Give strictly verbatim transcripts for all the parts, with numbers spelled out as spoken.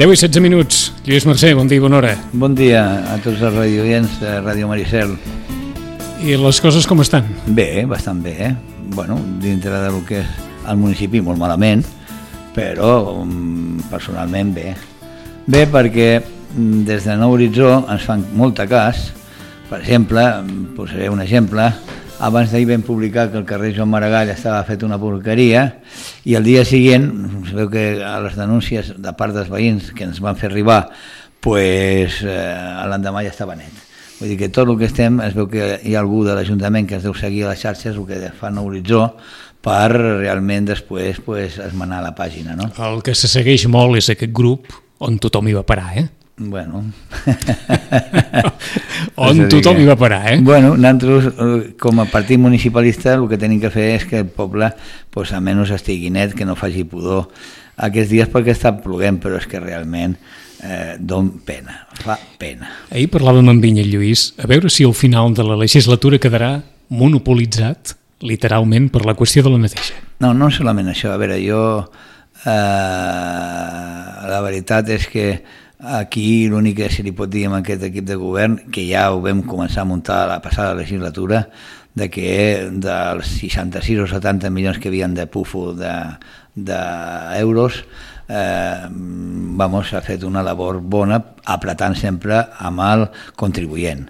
deu i setze minuts. Lluís Mercè, bon dia i bona hora. Bon dia a tots els radioients de Ràdio Maricel. I les coses com estan? Bé, bastant bé, eh? Bueno, dintre del que és el municipi molt malament, però um, personalment bé. Bé perquè des de Nou Horitzó ens fan molt cas. Per exemple, posaré un exemple, abans d'ahir vam publicar que el carrer Joan Maragall estava fet una porqueria i el dia següent, sabeu que a les denúncies de part dels veïns que ens van fer arribar, pues, eh, l'endemà ja estava net. Vull dir que tot el que estem, es veu que hi ha algú de l'Ajuntament que es deu seguir a les xarxes, el que fa Nou Horitzó, per realment després pues, esmenar la pàgina. No? El que se segueix molt és aquest grup on tothom hi va parar, eh? Bueno. On tothom hi va parar, eh? Bueno, nosaltres, com a partit municipalista, el que tenim que fer és que el poble, pues, almenys estigui net, que no faci pudor aquests dies perquè està ploguent, però és que realment eh, don pena, fa pena. Ahir parlàvem amb Vinya Lluís, a veure si al final de la legislatura quedarà monopolitzat, literalment, per la qüestió de la neteja. No, no solament això. A veure, jo... Eh, la veritat és que aquí l'únic que se li pot dir amb aquest equip de govern, que ja ho vam començar a muntar la passada legislatura, de que dels seixanta-sis o setanta milions que havien de pufo d'euros, de, eh, vamos, ha fet una labor bona apretant sempre amb el contribuent.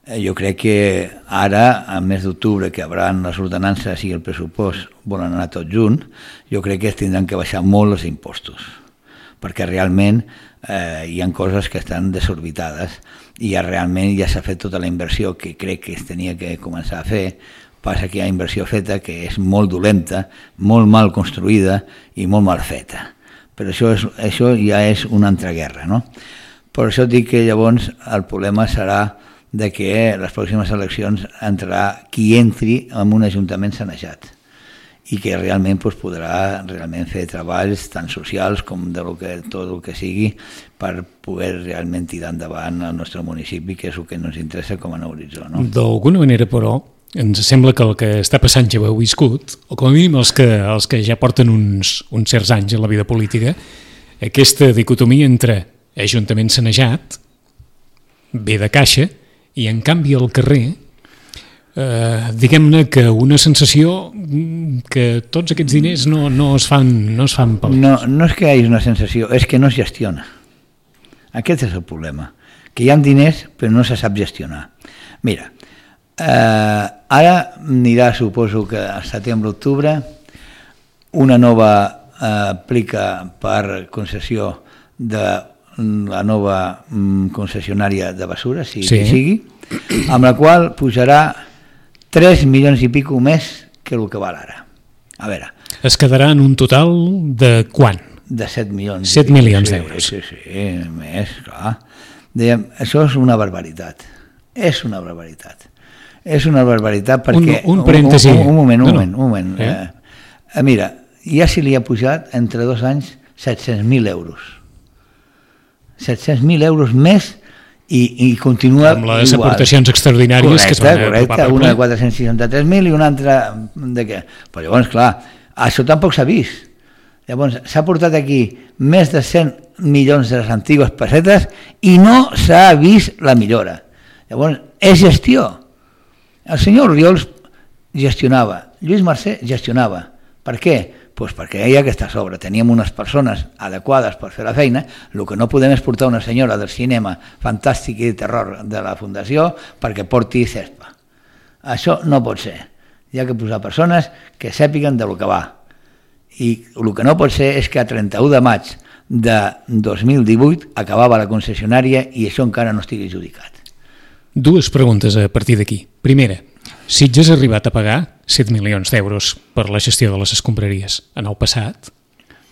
Jo crec que ara, al mes d'octubre, que hauran les ordenances i el pressupost volen anar tots junts, jo crec que es tindran que baixar molt els impostos, perquè realment eh, hi ha coses que estan desorbitades i ja realment ja s'ha fet tota la inversió que crec que es tenia que començar a fer. Passa que hi ha inversió feta que és molt dolenta, molt mal construïda i molt mal feta. Però això, és, això ja és una altra guerra, no? Per això dic que llavors el problema serà de que les pròximes eleccions entrarà qui entri en un ajuntament sanejat i que realment pues, podrà realment fer treballs tant socials com de lo que, tot el que sigui per poder realment tirar endavant el nostre municipi, que és el que ens interessa com a Nou Horitzó. No? D'alguna manera, però, ens sembla que el que està passant ja ho heu viscut, o com a mínim els que, els que ja porten uns, uns certs anys en la vida política, aquesta dicotomia entre ajuntament sanejat, ve de caixa, i en canvi al carrer, eh, diguem-ne que una sensació que tots aquests diners no, no es fan, no es fan pel... No, no és que hi hagi una sensació, és que no es gestiona. Aquest és el problema, que hi ha diners però no se sap gestionar. Mira, eh, ara anirà, suposo que al setembre-octubre, una nova eh, aplica per concessió de la nova mm, concessionària de basura, si sí. que sigui, amb la qual pujarà tres milions i pico més que el que val ara. A veure... Es quedarà en un total de quant? De set milions. set milions d'euros. Sí, sí, sí, més, clar. Dèiem, això és una barbaritat. És una barbaritat. És una barbaritat perquè... Un, un parèntesi. Un, un, un moment, un no, moment, no. un moment. Eh? Eh, mira, ja se li ha pujat entre dos anys set-cents mil euros. set-cents mil euros més i, i continua amb les igual. Aportacions extraordinàries correcte, que es van correcte, apropar una de quatre-cents seixanta-tres mil i una altra de què? Però llavors, clar, això tampoc s'ha vist. Llavors, s'ha portat aquí més de cent milions de les antigues pessetes i no s'ha vist la millora. Llavors, és gestió. El senyor Oriols gestionava, Lluís Mercè gestionava. Per què? Pues perquè deia que està a sobre, teníem unes persones adequades per fer la feina, el que no podem és portar una senyora del cinema fantàstic i de terror de la Fundació perquè porti cespa. Això no pot ser. Hi ha que posar persones que sàpiguen de lo que va. I el que no pot ser és que a trenta-u de maig de dos mil divuit acabava la concessionària i això encara no estigui adjudicat. Dues preguntes a partir d'aquí. Primera, Sitges ha arribat a pagar set milions d'euros per la gestió de les escombraries en el passat?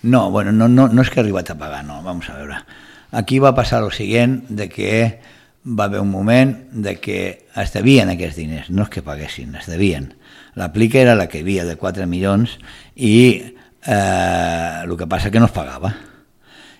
No, bueno, no, no, no és que ha arribat a pagar, no, vamos a veure. Aquí va passar el següent, de que va haver un moment de que es devien aquests diners, no és que paguessin, es devien. La plica era la que hi havia de quatre milions i eh, el que passa que no es pagava.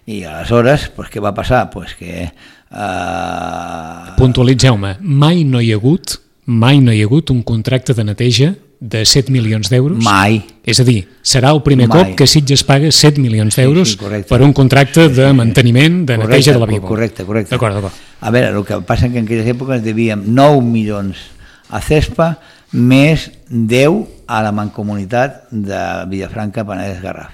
I aleshores, pues, què va passar? Pues que... Eh... Puntualitzeu-me, mai no hi ha hagut mai no hi ha hagut un contracte de neteja de set milions d'euros? Mai. És a dir, serà el primer Mai. cop que Sitges paga set milions d'euros sí, sí, per un contracte sí, sí, de sí. manteniment, de Correcte, neteja de la Bíblia. Correcte, correcte. D'acord, d'acord. A veure, el que passa que en aquelles èpoques devíem nou milions a CESPA més deu a la mancomunitat de Vilafranca, Penedès, Garraf.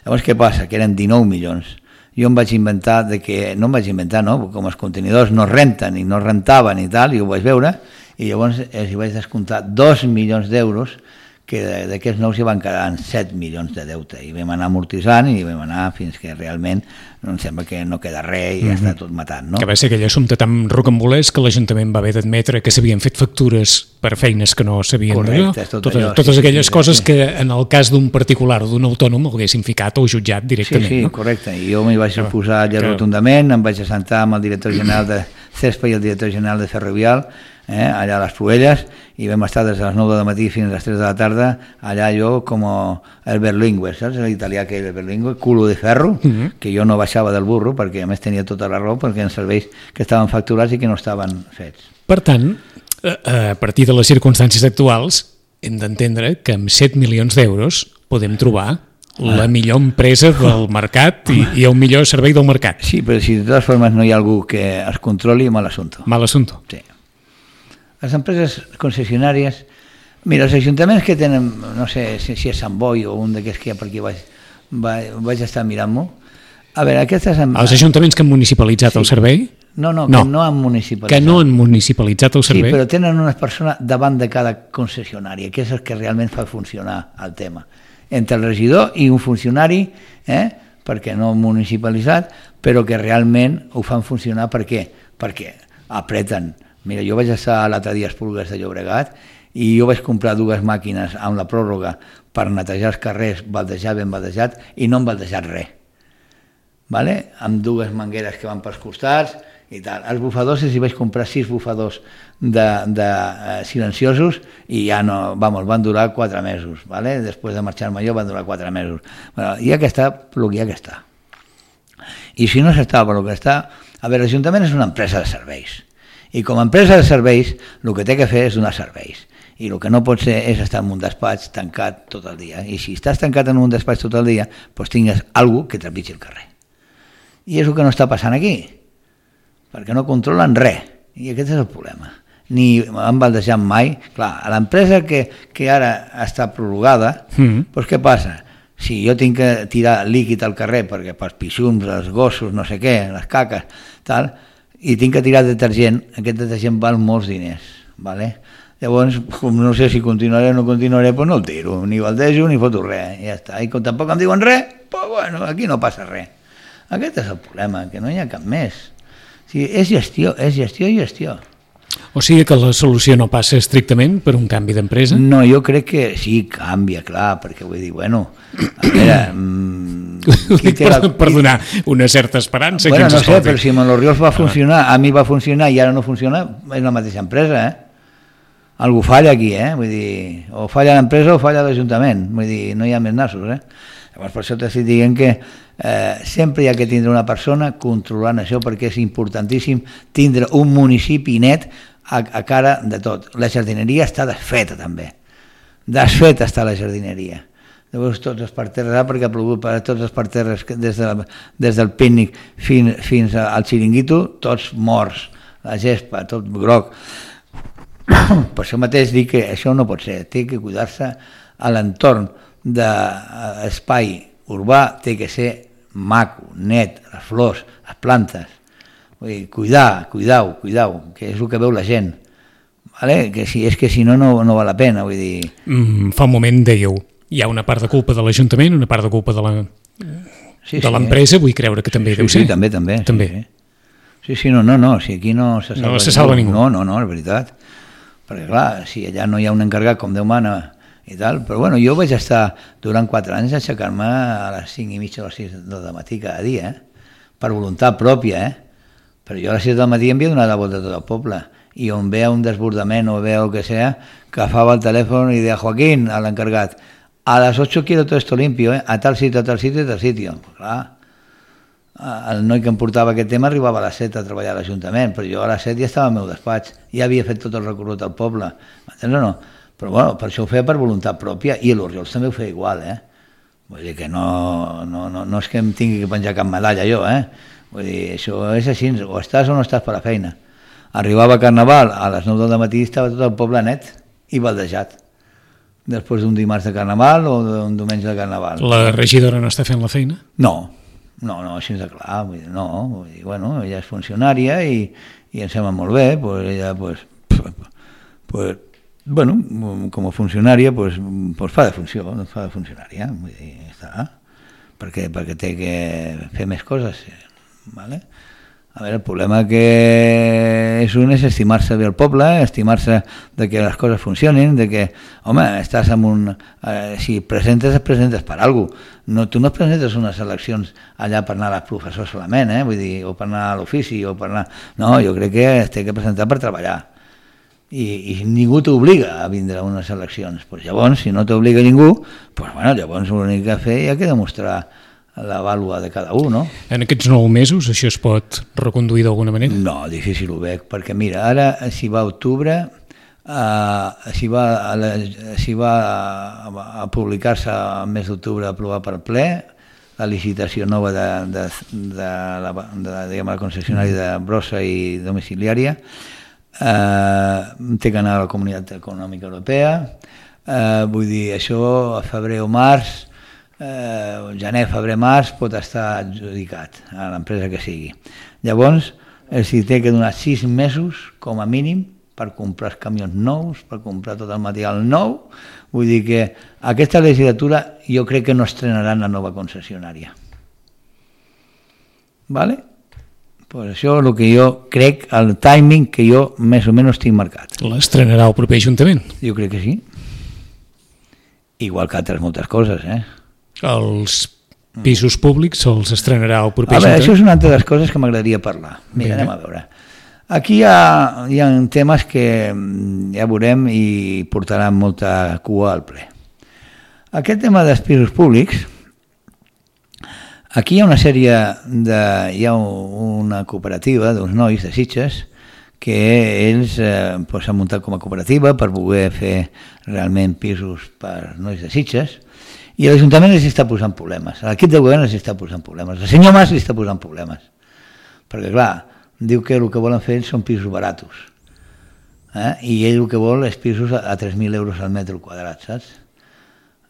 Llavors, què passa? Que eren dinou milions. Jo em vaig inventar, de que, no em vaig inventar, no? Com els contenidors no renten i no rentaven i tal, i ho vaig veure, i llavors els hi vaig descomptar dos milions d'euros, que d'aquests nous hi van quedar en set milions de deute, i vam anar amortitzant i vam anar fins que realment em sembla que no queda res i ja mm-hmm. està tot matant, no? Que va ser aquell assumpte tan rocambolès que l'Ajuntament va haver d'admetre que s'havien fet factures per feines que no s'havien de fer. Tot totes, allò, totes sí, aquelles sí, coses sí. que en el cas d'un particular o d'un autònom l'haguessin ficat o jutjat directament. Sí, sí, no? correcte. I jo m'hi vaig Que- oposar allà que- rotundament, em vaig assentar amb el director general de CESPA i el director general de Ferrovial, eh, allà a les Proelles, i vam estar des de les nou del matí fins a les tres de la tarda, allà jo com el berlingue, saps? L'italià que és el berlingue, culo de ferro, Mhm. que jo no baixava del burro, perquè a més tenia tota la raó, perquè en serveis que estaven facturats i que no estaven fets. Per tant, a a partir de les circumstàncies actuals, hem d'entendre que amb set milions d'euros podem trobar la millor empresa del mercat i, i el millor servei del mercat. Sí, però si de totes formes no hi ha algú que es controli, mal assumpte. Mal assumpto. Sí. Les empreses concessionàries... Mira, els ajuntaments que tenen, no sé si, si és Sant Boi o un d'aquests que hi ha per aquí vaig, vaig, vaig estar mirant-m'ho. A veure, aquestes... Els ajuntaments que han municipalitzat Sí. el servei? No, no, No. que no han municipalitzat. Que no han municipalitzat el Sí, servei? però tenen unes persones davant de cada concessionària, que és el que realment fa funcionar el tema. Entre el regidor i un funcionari, eh, perquè no municipalitzat, però que realment ho fan funcionar. Per què? Perquè apreten. Mira, jo vaig estar l'altre dia a Esplugues de Llobregat i jo vaig comprar dues màquines amb la pròrroga per netejar els carrers, baldejar ben baldejat, i no han baldejat res. Vale? Amb dues mangueres que van pels costats i tal. Els bufadors, si vaig comprar sis bufadors de, de eh, silenciosos i ja no, vamos, van durar quatre mesos, vale? Després de marxar-me jo van durar quatre mesos. Bueno, ja que està, el que ja que està. I si no s'està per el que està, a veure, l'Ajuntament és una empresa de serveis. I com a empresa de serveis, el que té que fer és donar serveis. I el que no pot ser és estar en un despatx tancat tot el dia. I si estàs tancat en un despatx tot el dia, doncs tingues algú que trepitgi el carrer. I és el que no està passant aquí, perquè no controlen res, i aquest és el problema. Ni han baldejat mai. Clar, a l'empresa que, que ara està prorrogada, Mm. doncs què passa? Si jo tinc que tirar líquid al carrer, perquè pels pixums, els gossos, no sé què, les caques, tal, i tinc que tirar detergent, aquest detergent val molts diners, ¿vale? Llavors, com no sé si continuaré o no continuaré, doncs no el tiro, ni baldejo ni foto res, ja està. I com tampoc em diuen res, doncs bueno, aquí no passa res. Aquest és el problema, que no hi ha cap més. O sigui, és gestió, és gestió i gestió. O sigui que la solució no passa estrictament per un canvi d'empresa? No, jo crec que sí, canvia, clar, perquè vull dir, bueno, a veure... Mmm, qui té la... per, per donar una certa esperança. Bueno, que ens no sé, escolti. però si Monoriols va funcionar, a mi va funcionar i ara no funciona, és la mateixa empresa, eh? Algú falla aquí, eh? Vull dir, o falla l'empresa o falla l'Ajuntament, vull dir, no hi ha més nassos, eh? Llavors, per això t'estic dient que eh, sempre hi ha que tindre una persona controlant això, perquè és importantíssim tindre un municipi net a, a cara de tot. La jardineria està desfeta, també. Desfeta està la jardineria. Llavors, tots els parterres, perquè ha plogut per tots els parterres, des, de la, des del pícnic fins, fins al xiringuito, tots morts, la gespa, tot groc. Per això mateix dic que això no pot ser, té que cuidar-se a l'entorn d'espai urbà, té que ser maco, net, les flors, les plantes. Vull dir, cuidar, cuidau, cuidau, que és el que veu la gent. Vale? Que si, és que si no, no, no val la pena. Vull dir... Mm, fa un moment dèieu, hi ha una part de culpa de l'Ajuntament, una part de culpa de la Sí, de l'empresa, vull creure que també sí, deu sí, ser. també, també. també. Sí, sí. sí, sí, no, no, no, si aquí no se salva, No se salva ningú. No, no, no, és veritat. Perquè clar, si allà no hi ha un encarregat com Déu mana i tal, però bueno, jo vaig estar durant quatre anys a aixecar-me a les cinc i mitja o les sis del matí cada dia, eh? Per voluntat pròpia, eh? Però jo a les sis del matí em havia donat la volta a tot el poble, i on veia un desbordament o veia el que sea, agafava el telèfon i deia, Joaquín, a l'encarregat, a les ocho quiero todo esto limpio, eh? A tal sitio, a tal sitio, a tal sitio. Pues clar, el noi que em portava aquest tema arribava a les set a treballar a l'Ajuntament, però jo a les set ja estava al meu despatx, ja havia fet tot el recorregut al poble, m'entens o no? Però bueno, per això ho feia per voluntat pròpia, i l'Oriols també ho feia igual, eh? Vull dir que no, no, no, no és que em tingui que penjar cap medalla jo, eh? Vull dir, això és així, o estàs o no estàs per la feina. Arribava a Carnaval, a les nou del matí estava tot el poble net i baldejat, després d'un dimarts de Carnaval o d'un diumenge de Carnaval. La regidora no està fent la feina? No, no, no, així de clar, vull dir, no, vull dir, bueno, ella és funcionària i, i em sembla molt bé, pues ella, pues, pues, bueno, com a funcionària, pues, pues fa de funció, fa de funcionària, vull dir, està, perquè, perquè té que fer més coses, ¿vale? A veure, el problema que és un és estimar-se bé el poble, estimar-se de que les coses funcionin, de que, home, estàs en un... Eh, si presentes, et presentes per alguna cosa. No, tu no et presentes unes eleccions allà per anar als professors solament, eh? Vull dir, o per anar a l'ofici, o per anar... No, jo crec que es té que presentar per treballar. I, i ningú t'obliga a vindre a unes eleccions. Pues llavors, si no t'obliga ningú, pues bueno, llavors l'únic que fer hi ha que demostrar la vàlua de cada un, no? En aquests nou mesos això es pot reconduir d'alguna manera? No, difícil ho veig, perquè mira, ara si va a octubre, eh, si va a, la, si va a, a publicar-se al mes d'octubre, a aprovar per ple, la licitació nova de, de, de, la, de, diguem, la concessionària de brossa i domiciliària, eh, té que anar a la Comunitat Econòmica Europea, eh, vull dir, això a febrer o març, eh, gener, febrer, març, pot estar adjudicat a l'empresa que sigui. Llavors, els hi té que donar sis mesos, com a mínim, per comprar els camions nous, per comprar tot el material nou. Vull dir que aquesta legislatura jo crec que no estrenaran la nova concessionària. Vale? Pues això és el que jo crec, el timing que jo més o menys tinc marcat. L'estrenarà el proper Ajuntament? Jo crec que sí. Igual que altres moltes coses, eh? Els pisos públics els estrenarà el proper a veure, Ajuntament? Això és una altra de les coses que m'agradaria parlar. Mira, anem a veure. Aquí hi ha, hi ha temes que ja veurem i portaran molta cua al ple. Aquest tema dels pisos públics, aquí hi ha una sèrie de... hi ha una cooperativa d'uns nois de Sitges que ells eh, pues, s'han muntat com a cooperativa per poder fer realment pisos per nois de Sitges i l'Ajuntament els està posant problemes, l'equip del govern els està posant problemes, el senyor Mas els està posant problemes, perquè clar, diu que el que volen fer són pisos baratos, eh? I ell el que vol és pisos a, a tres mil euros al metre quadrat, saps?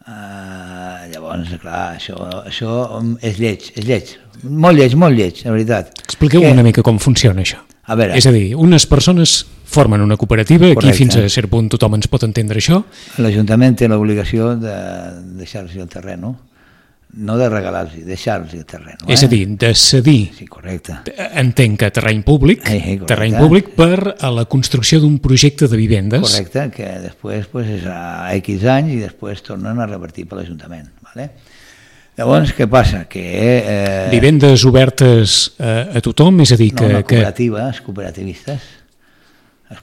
Uh, llavors, clar, això, això és lleig, és lleig, molt lleig, molt lleig, la veritat. Expliqueu que... una mica com funciona això. A veure. És a dir, unes persones formen una cooperativa, correcte. Aquí fins a cert punt tothom ens pot entendre això. L'Ajuntament té l'obligació de deixar-los el terreny, no? No de regalar-los, deixar-los el terreny. Eh? És a dir, de cedir, sí, correcte. Entenc que terreny públic, eh, terreny públic per a la construcció d'un projecte de vivendes. Correcte, que després pues, és a X anys i després tornen a revertir per l'Ajuntament. Vale? Llavors, què passa? Que, eh... Vivendes obertes a, a tothom, és a dir... Que, no, no, cooperatives, que... cooperativistes.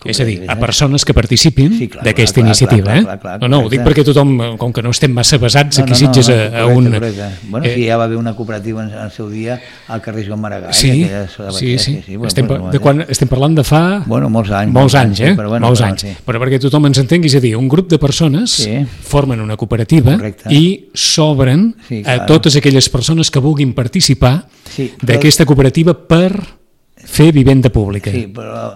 És a dir, a persones que participin sí, d'aquesta iniciativa. Clar, clar, clar, eh? No, no, ho dic perquè tothom, com que no estem massa basats aquí no, no, Sitges no, no, a, a un... Correcte. Bueno, eh... sí, ja va haver una cooperativa en el seu dia al carrer Joan Maragall. Sí, sí, sí, sí. sí bueno, estem, bueno, de quan, estem parlant de fa... Bueno, molts anys. Molts anys, eh? Sí, però bueno, molts però, anys. Sí. Però perquè tothom ens entengui, és a dir, un grup de persones sí. formen una cooperativa correcte. I s'obren sí, a totes aquelles persones que vulguin participar sí, però... d'aquesta cooperativa per fer vivenda pública. Sí, però...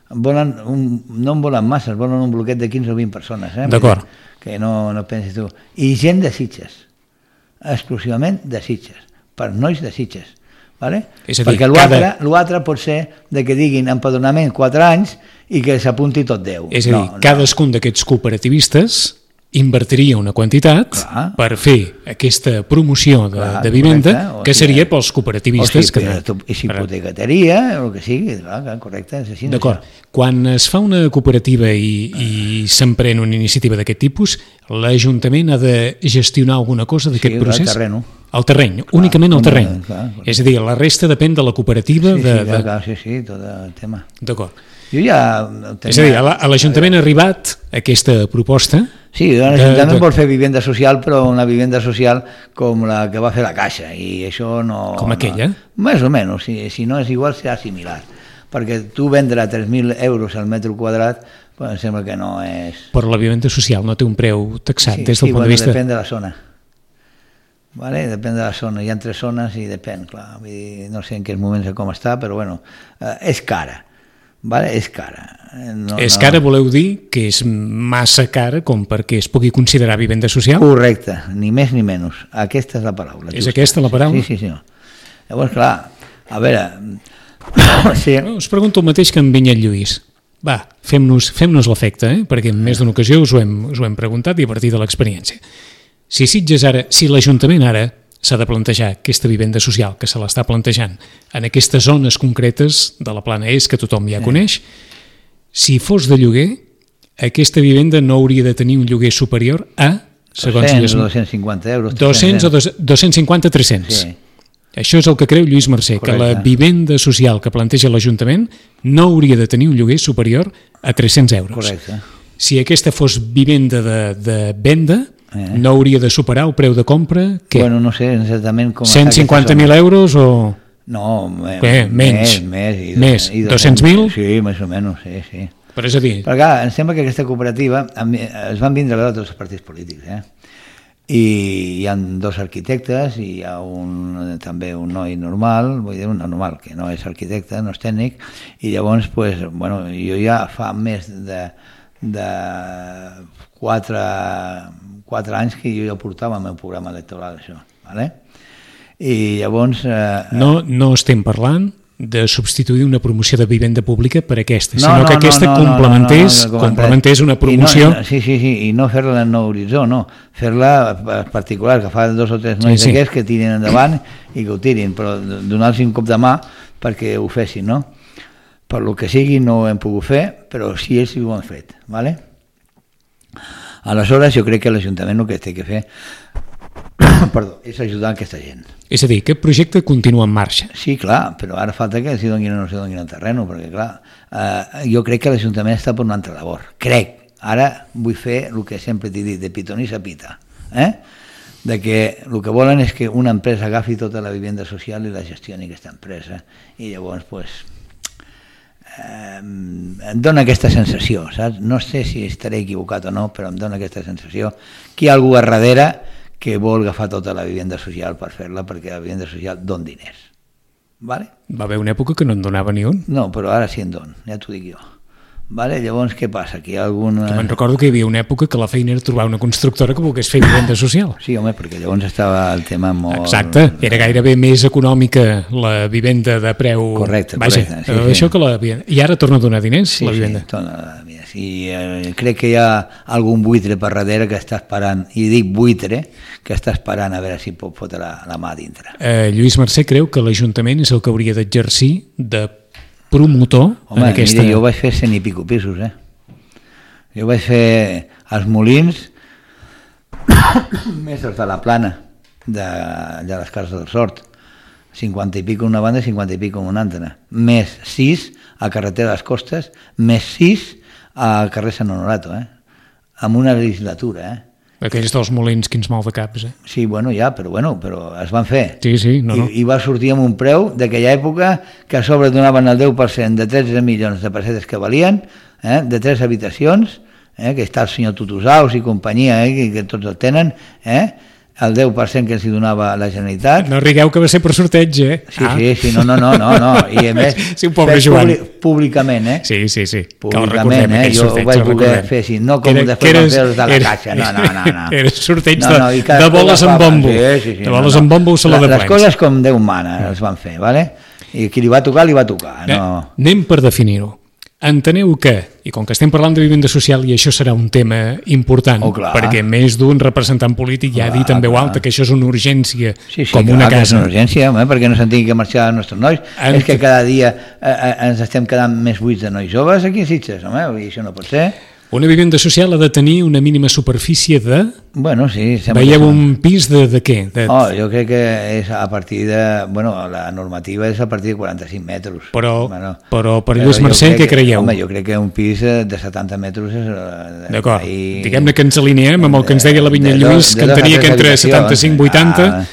Volen un, no en volen masses, volen un bloquet de quinze o vint persones. Eh? D'acord. Que no, no pensis tu. I gent de Sitges, exclusivament de Sitges, per nois de Sitges. Vale? És a dir, perquè l'altre cada... pot ser de que diguin empadronament quatre anys i que s'apunti tot deu. És a dir, no, cadascun no. d'aquests cooperativistes invertiria una quantitat clar. Per fer aquesta promoció de, clar, de vivenda correcte, que seria sigui, pels cooperativistes. O sigui, que... I si hipotecateria, o el que sigui, clar, correcte, és així. D'acord. Quan es fa una cooperativa i, i s'emprèn una iniciativa d'aquest tipus, l'Ajuntament ha de gestionar alguna cosa d'aquest sí, procés? Sí, el terreny. El terreny, clar, únicament el terreny. Clar, clar. És a dir, la resta depèn de la cooperativa. Sí, de, sí, de... clar, sí, sí, tot el tema. D'acord. Jo ja... Tenia... És a dir, a l'Ajuntament ha arribat aquesta proposta... Sí, l'Ajuntament de... vol fer vivenda social, però una vivenda social com la que va fer la Caixa, i això no... Com aquella? No, més o menys, si, si no és igual serà similar. perquè tu vendre a tres mil euros al metre quadrat, pues, em sembla que no és... Però la vivenda social no té un preu taxat sí, des del sí, punt bueno, de vista... depèn de la zona. Vale? Depèn de la zona, hi ha tres zones i depèn, clar. Vull dir, no sé en quins moments com està, però bueno, eh, és cara. Vale? És cara. No, és no... cara, voleu dir que és massa cara com perquè es pugui considerar vivenda social? Correcte, ni més ni menys. Aquesta és la paraula. És justa. Aquesta la paraula? Sí, sí, sí. Llavors, clar, a veure... sí. Us pregunto el mateix que en Vinyet Lluís. Va, fem-nos fem-nos l'efecte, eh? Perquè en més d'una ocasió us ho, hem, us ho hem preguntat i a partir de l'experiència. Si Sitges ara, si l'Ajuntament ara s'ha de plantejar aquesta vivenda social que se l'està plantejant en aquestes zones concretes de la Plana Est que tothom ja coneix, si fos de lloguer, aquesta vivenda no hauria de tenir un lloguer superior a... dos-cents o dos-cents cinquanta euros. dos-cents o dos-cents cinquanta a tres-cents. Sí. Això és el que creu Lluís Mercè, correcte, que la vivenda social que planteja l'Ajuntament no hauria de tenir un lloguer superior a tres-cents euros. Correcte. Si aquesta fos vivenda de, de venda, eh. no hauria de superar el preu de compra, què? Bueno, no sé exactament com... cent cinquanta mil euros o... No, eh, menys. Més, més. I més. dos-cents mil? Sí, més o menys, sí, sí. Però és a dir... Però clar, em sembla que aquesta cooperativa es van vindre a veure tots els partits polítics, eh? I hi ha dos arquitectes i hi ha un, també un noi normal, vull dir, un normal, que no és arquitecte, no és tècnic, i llavors, pues, bueno, jo ja fa més de, de quatre, quatre anys que jo ja portava el meu programa electoral, això, ¿vale? I llavors... Eh, no, no estem parlant de substituir una promoció de vivenda pública per aquesta, no, sinó no, que aquesta no, no, complementés, no, no, no, complementés una promoció... No, sí, sí, sí, i no fer-la en nou horitzó, no, fer-la particular, que fa dos o tres nois sí, sí. d'aquests que tirin endavant i que ho tirin, però donar-los un cop de mà perquè ho fessin, no? Per lo que sigui no ho hem pogut fer, però sí ells ho han fet, ¿vale? Aleshores jo crec que l'Ajuntament el que té que fer perdó, és ajudar aquesta gent. És a dir, aquest projecte continua en marxa. Sí, clar, però ara falta que s'hi donin o no s'hi donin el terreno, perquè clar, eh, jo crec que l'Ajuntament està per una altra labor. Crec. Ara vull fer el que sempre t'he dit, de pitón i sapita. Eh? De que el que volen és que una empresa agafi tota la vivenda social i la gestioni aquesta empresa. I llavors, pues, eh, em dona aquesta sensació, saps? No sé si estaré equivocat o no, però em dona aquesta sensació que hi ha algú a darrere que vol agafar tota la vivenda social per fer-la, perquè la vivenda social don diners. Vale? Va haver una època que no en donava ni un. No, però ara sí en don, ja t'ho dic jo. Vale? Llavors, què passa? Que hi ha alguna... Que me'n recordo que hi havia una època que la feina era trobar una constructora que volgués fer vivenda social. Sí, home, perquè llavors estava el tema molt... Exacte, era gairebé més econòmica la vivenda de preu... Correcte, Vaja, correcte. Sí, sí. Això que la... I ara torna a donar diners, sí, la vivenda. Sí, torna a donar diners. I eh, crec que hi ha algun buitre per darrere que està esperant, i dic buitre, que està esperant a veure si pot fotre la, la mà dintre. Eh, Lluís Mercè creu que l'Ajuntament és el que hauria d'exercir de promotor Home, en aquesta... mira, jo vaig fer cent i pico pisos, eh? Jo vaig fer els molins més els de la Plana, de, de les cases del Sort, cinquanta i pico una banda i cinquanta i pico una altra, més sis a Carretera de les Costes, més sis a carrer Sant Honorato, eh? Amb una legislatura, eh? Aquells dels molins, quins mal de caps, eh? Sí, bueno, ja, però bueno, però es van fer. Sí, sí, no, no. I, i va sortir amb un preu d'aquella època que a sobre donaven el deu per cent de tretze milions de pessetes que valien, eh? De tres habitacions, eh? Que està el senyor Tutusaus i companyia, eh? que, que tots el tenen, eh? El deu per cent que els donava la Generalitat. No rigueu que va ser per sorteig, eh? Sí, ah. sí, sí, no, no, no, no, no. I a més, sí, un pobre Joan. Públic, públicament, eh? Sí, sí, sí. Públicament, eh? Jo ho vaig voler fer així, no com era, després eres, van fer de la era, caixa, no, no, no. no. Era sorteig no, no, de, de boles amb bombo. Sí, sí, sí, de boles no, amb bombo o sala de plens. Les coses com Déu mana els van fer, ¿vale? I qui li va tocar, li va tocar. No. Anem per definir-ho. Enteneu que, i com que estem parlant de vivenda social i això serà un tema important, oh, perquè més d'un representant polític ja ha dit en veu alta que això és una urgència, sí, sí, com clar, una casa. És una urgència, home, perquè no se'n tingui que marxar els nostres nois. En... És que cada dia eh, eh, ens estem quedant més buits de nois joves aquí a Sitges, home, i això no pot ser. Una vivenda social ha de tenir una mínima superfície de... Bueno, sí. Veieu un pis de, de què? De... Oh, jo crec que és a partir de... Bueno, la normativa és a partir de quaranta-cinc metres. Però, bueno, però per Lluís Mercè, què creieu? Home, jo crec que un pis de setanta metres és... D'acord, ahí... diguem-ne que ens alineem amb el que ens deia la Vinyet Lluís, que en tenia que entre setanta-cinc i vuitanta, ah.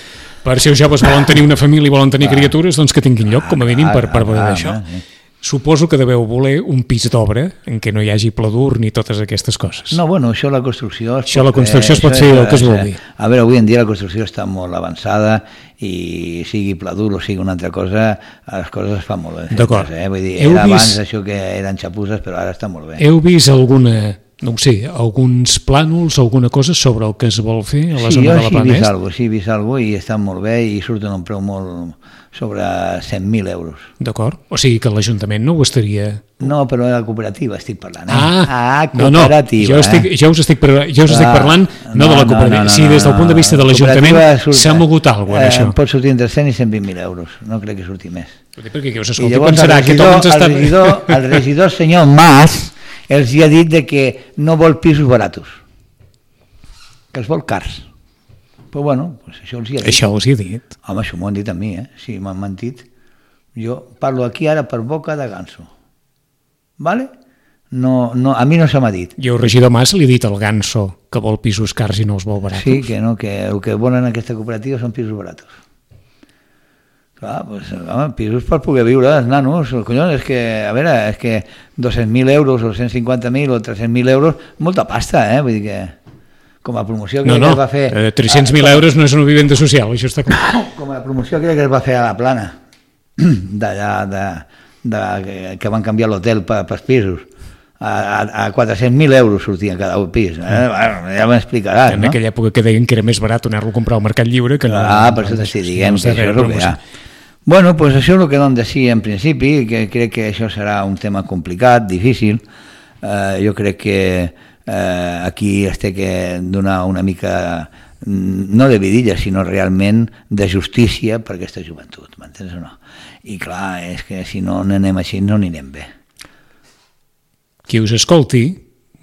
per si els joves volen tenir una família i volen tenir ah. criatures, doncs que tinguin lloc, com a mínim, per, per veure ah, això. Sí. Suposo que deveu voler un pis d'obra en què no hi hagi pla dur ni totes aquestes coses. No, bueno, això la construcció... Això la construcció es pot fer el que es vulgui. A veure, avui en dia la construcció està molt avançada i sigui pla dur o sigui una altra cosa, les coses es fan molt bé. D'acord. Eh? Vull dir, era abans això que eren xapuses, però ara està molt bé. Heu vist alguna... no ho sé, alguns plànols, alguna cosa sobre el que es vol fer a la sí, zona de la Planès? Sí, jo sí he vist alguna cosa, sí he vist alguna cosa i estan molt bé i surten un preu molt sobre cent mil euros. D'acord, o sigui que l'Ajuntament no ho estaria... No, però de la cooperativa estic parlant. Eh? Ah, ah, no, cooperativa. no, jo, estic, jo us estic, jo us estic parlant no, no de la cooperativa. No, no, no, si des del punt de vista de l'Ajuntament s'ha mogut alguna cosa en això. Eh, pot sortir entre cent i cent vint mil euros, no crec que surti més. Perquè qui us escolti pensarà que tot ens està... El regidor, el regidor senyor Mas els hi ha dit de que no vol pisos baratos, que els vol cars. Però bueno, pues això els hi ha dit. Això els hi ha dit. Home, això m'ho han dit a mi, eh? Si m'han mentit. Jo parlo aquí ara per boca de Ganso. Vale? No, no, a mi no se m'ha dit. I el regidor Mas li ha dit al Ganso que vol pisos cars i no els vol baratos. Sí, que no, que el que volen en aquesta cooperativa són pisos baratos. Clar, pues, home, pisos per poder viure, els nanos, collons, és que, a veure, és que dos-cents mil euros o cent cinquanta mil o tres-cents mil euros, molta pasta, eh? Vull dir que, com a promoció que no, no, es va fer... No, no, tres-cents mil euros no és una vivenda social, això està clar. Com a promoció que es va fer a la Plana, d'allà, de, de, de, que van canviar l'hotel per, pels pisos, a, a, a quatre-cents mil euros sortien cada pis, eh? Bueno, ja m'explicaràs, no? En aquella època que deien que era més barat anar-lo a comprar al Mercat Lliure que no... Ah, per això t'estic dient, que això és el que hi ha. Bueno, pues això és el que vam dir en principi, que crec que això serà un tema complicat, difícil. Eh, jo crec que eh, aquí es té que donar una mica, no de vidilla, sinó realment de justícia per aquesta joventut, m'entens o no? I clar, és que si no anem així no anirem bé. Qui us escolti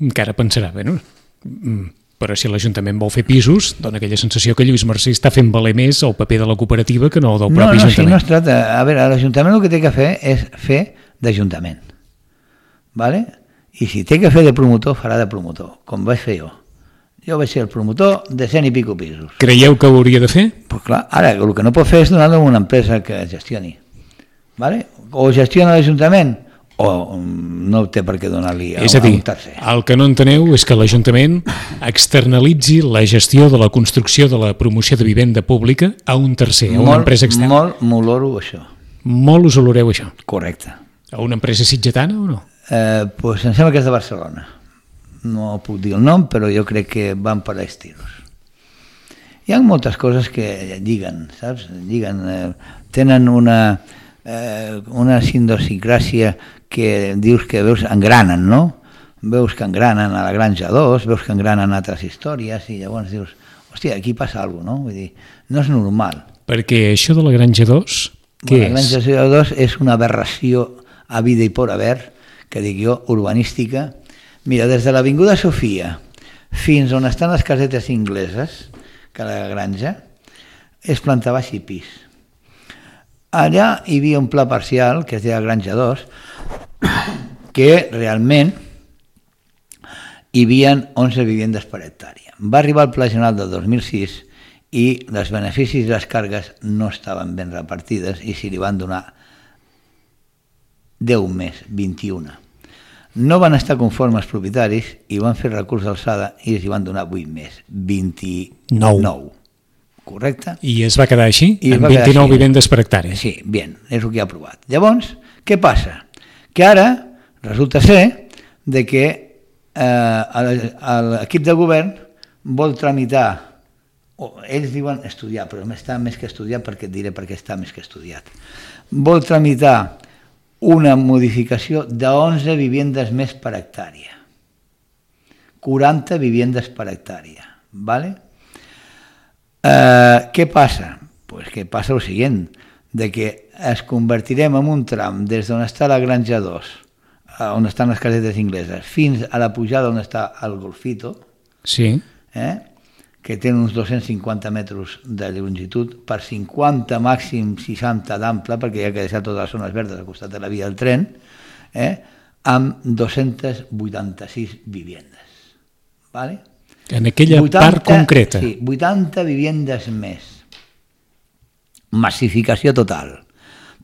encara pensarà, bé, no? Però si l'Ajuntament vol fer pisos, dona aquella sensació que Lluís Marcí està fent valer més el paper de la cooperativa que no del propi no, no, Ajuntament. Si no es tracta... A veure, l'Ajuntament el que té que fer és fer d'Ajuntament. ¿Vale? I si té que fer de promotor, farà de promotor, com vaig fer jo. Jo vaig ser el promotor de cent i pico pisos. Creieu que ho hauria de fer? Pues clar, ara el que no pot fer és donar-lo a una empresa que gestioni. ¿Vale? O gestiona l'Ajuntament o no té per què donar-li a, és a dir, a un tercer. El que no enteneu és que l'Ajuntament externalitzi la gestió de la construcció de la promoció de vivenda pública a un tercer, a una molt, empresa externa. Molt m'oloro això. Molt us oloreu això? Correcte. A una empresa sitgetana o no? Eh, pues em sembla que és de Barcelona. No puc dir el nom, però jo crec que van per aquests tiros. Hi ha moltes coses que lliguen, saps? Lliguen, eh, tenen una, eh, una idiosincràsia que dius que veus engranen, no? Veus que engranen a la Granja dos, veus que engranen altres històries i llavors dius, hòstia, aquí passa alguna cosa, no? Vull dir, no és normal. Perquè això de la Granja dos, què bueno, és? La Granja dos és una aberració a vida i por haver, que dic jo, urbanística. Mira, des de l'Avinguda Sofia fins on estan les casetes ingleses, que a la Granja, és planta baixa i pis. Allà hi havia un pla parcial, que es deia Granja dos, que realment hi havia onze vivendes per hectàrea. Va arribar el Pla General del dos mil sis i els beneficis i les cargues no estaven ben repartides i s'hi li van donar deu més, vint-i-un. No van estar conformes els propietaris i van fer recurs d'alçada i els hi van donar vuit més, vint-i-nou. Correcte? I es va quedar així? I amb vint-i-nou vivendes per hectàrea? Sí, bien, és el que ha aprovat. Llavors, què passa? Que ara resulta ser de que eh, l'equip de govern vol tramitar, o ells diuen estudiar, però està més que estudiat perquè et diré perquè està més que estudiat. Vol tramitar una modificació d'onze vivendes més per hectàrea. quaranta vivendes per hectàrea, ¿vale? Eh, què passa? Pues que passa el següent, de que es convertirem en un tram des d'on està la Granja dos, on estan les casetes ingleses, fins a la pujada on està el Golfito, sí. eh? que té uns dos-cents cinquanta metres de longitud, per cinquanta màxim seixanta d'ample, perquè hi ha que deixar totes les zones verdes al costat de la via del tren, eh? amb dos-cents vuitanta-sis vivendes. ¿Vale? En aquella vuitanta, part concreta. Sí, vuitanta vivendes més. Massificació total.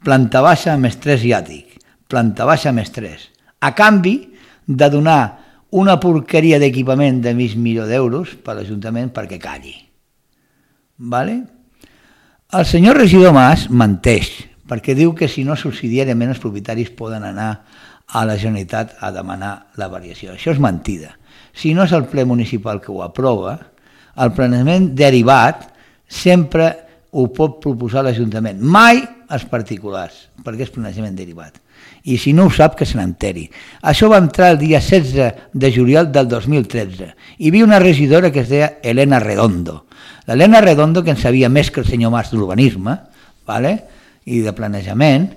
Planta baixa més tres i àtic. planta baixa més tres, a canvi de donar una porqueria d'equipament de mig milió d'euros per l'Ajuntament perquè calli. Vale? El senyor regidor Mas menteix, perquè diu que si no subsidiàriament els propietaris poden anar a la Generalitat a demanar la variació. Això és mentida. Si no és el ple municipal que ho aprova, el planejament derivat sempre ho pot proposar l'Ajuntament, mai els particulars, perquè és planejament derivat. I si no ho sap, que se n'enteri. Això va entrar el dia setze de juliol del dos mil tretze. Hi havia una regidora que es deia Elena Redondo. L'Elena Redondo, que en sabia més que el senyor Mas d'urbanisme, vale? I de planejament,